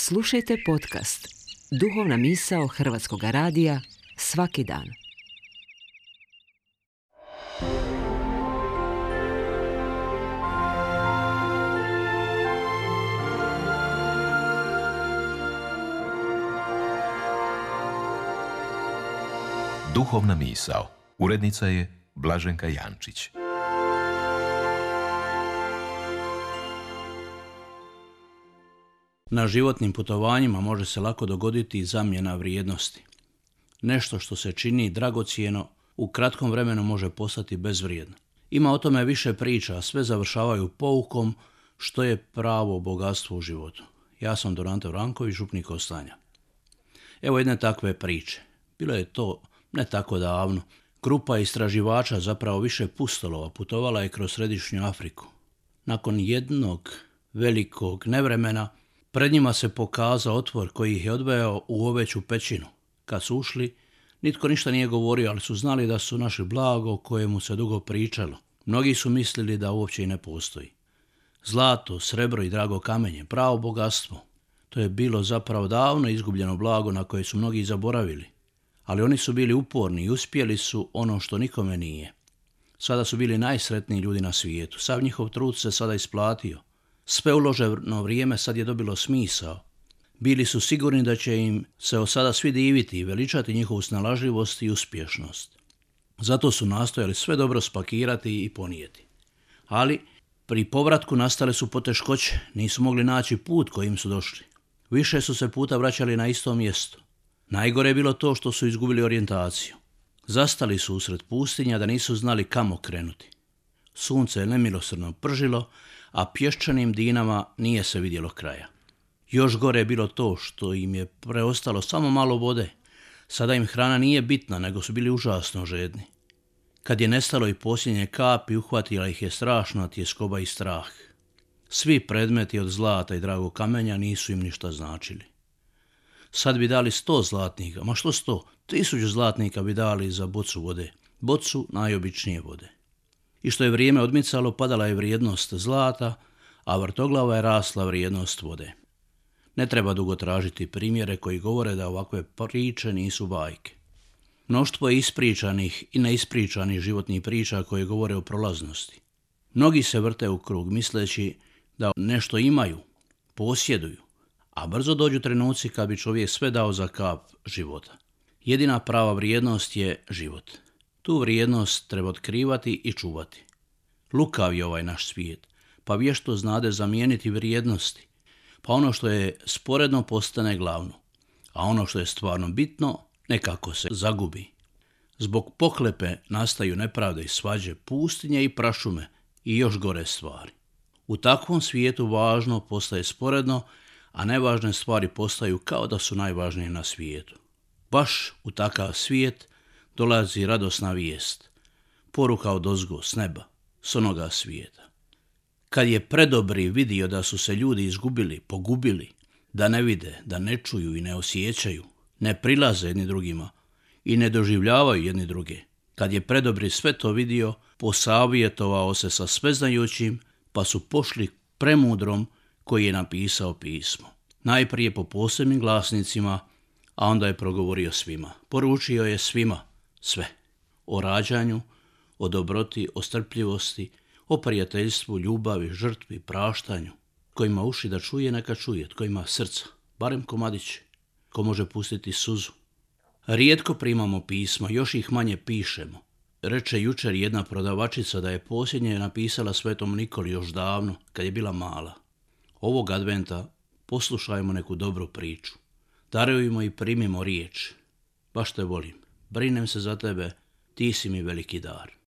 Slušajte podcast Duhovna misao Hrvatskog radija svaki dan. Duhovna misao. Urednica je Blaženka Jančić. Na životnim putovanjima može se lako dogoditi zamjena vrijednosti. Nešto što se čini dragocjeno u kratkom vremenu može postati bezvrijedno. Ima o tome više priča, a sve završavaju poukom što je pravo bogatstvo u životu. Ja sam Dorante Vranković, župnik Ostanja. Evo jedne takve priče. Bilo je to ne tako davno. Grupa istraživača, zapravo više pustolova, putovala je kroz središnju Afriku. Nakon jednog velikog nevremena pred njima se pokazao otvor koji ih je odveo u oveću pećinu. Kad su ušli, nitko ništa nije govorio, ali su znali da su našli blago o kojemu se dugo pričalo. Mnogi su mislili da uopće i ne postoji. Zlato, srebro i drago kamenje, pravo bogatstvo. To je bilo zapravo davno izgubljeno blago na koje su mnogi zaboravili. Ali oni su bili uporni i uspjeli su ono što nikome nije. Sada su bili najsretniji ljudi na svijetu. Sav njihov trud se sada isplatio. Sve uloženo vrijeme sad je dobilo smisao. Bili su sigurni da će im se od sada svi diviti i veličati njihovu snalažljivost i uspješnost. Zato su nastojali sve dobro spakirati i ponijeti. Ali pri povratku nastale su poteškoće, nisu mogli naći put kojim su došli. Više su se puta vraćali na isto mjesto. Najgore je bilo to što su izgubili orijentaciju. Zastali su usred pustinja da nisu znali kamo krenuti. Sunce je nemilosrdno pržilo, a pješčanim dinama nije se vidjelo kraja. Još gore je bilo to što im je preostalo samo malo vode. Sada im hrana nije bitna, nego su bili užasno žedni. Kad je nestalo i posljednje kapi, uhvatila ih je strašna tjeskoba i strah. Svi predmeti od zlata i dragog kamenja nisu im ništa značili. Sad bi dali 100 zlatnika, ma što 100? 1000 zlatnika bi dali za bocu vode, bocu najobičnije vode. I što je vrijeme odmicalo, padala je vrijednost zlata, a vrtoglava je rasla vrijednost vode. Ne treba dugo tražiti primjere koji govore da ovakve priče nisu bajke. Mnoštvo je ispričanih i neispričanih životnih priča koje govore o prolaznosti. Mnogi se vrte u krug misleći da nešto imaju, posjeduju, a brzo dođu trenuci kad bi čovjek sve dao za kap života. Jedina prava vrijednost je život. Tu vrijednost treba otkrivati i čuvati. Lukav je ovaj naš svijet, pa vješto znade zamijeniti vrijednosti, pa ono što je sporedno postane glavno, a ono što je stvarno bitno nekako se zagubi. Zbog pohlepe nastaju nepravde i svađe, pustinje i prašume i još gore stvari. U takvom svijetu važno postaje sporedno, a nevažne stvari postaju kao da su najvažnije na svijetu. Baš u takav svijet dolazi radosna vijest, poruka odozgo, s neba, s onoga svijeta. Kad je predobri vidio da su se ljudi izgubili, pogubili, da ne vide, da ne čuju i ne osjećaju, ne prilaze jedni drugima i ne doživljavaju jedni druge. Kad je predobri sve to vidio, posavjetovao se sa sveznajućim, pa su pošli premudrom koji je napisao pismo. Najprije po posebnim glasnicima, a onda je progovorio svima. Poručio je svima sve. O rađanju, o dobroti, o strpljivosti, o prijateljstvu, ljubavi, žrtvi, praštanju. Tko ima uši da čuje, neka čuje. Tko ima srca, barem komadić. Ko može pustiti suzu. Rijetko primamo pisma, još ih manje pišemo. Reče jučer jedna prodavačica da je posljednje napisala Svetom Nikoli još davno, kad je bila mala. Ovog adventa poslušajmo neku dobru priču. Darujmo i primimo riječ. Baš te volim. Brinem se za tebe, ti si mi veliki dar.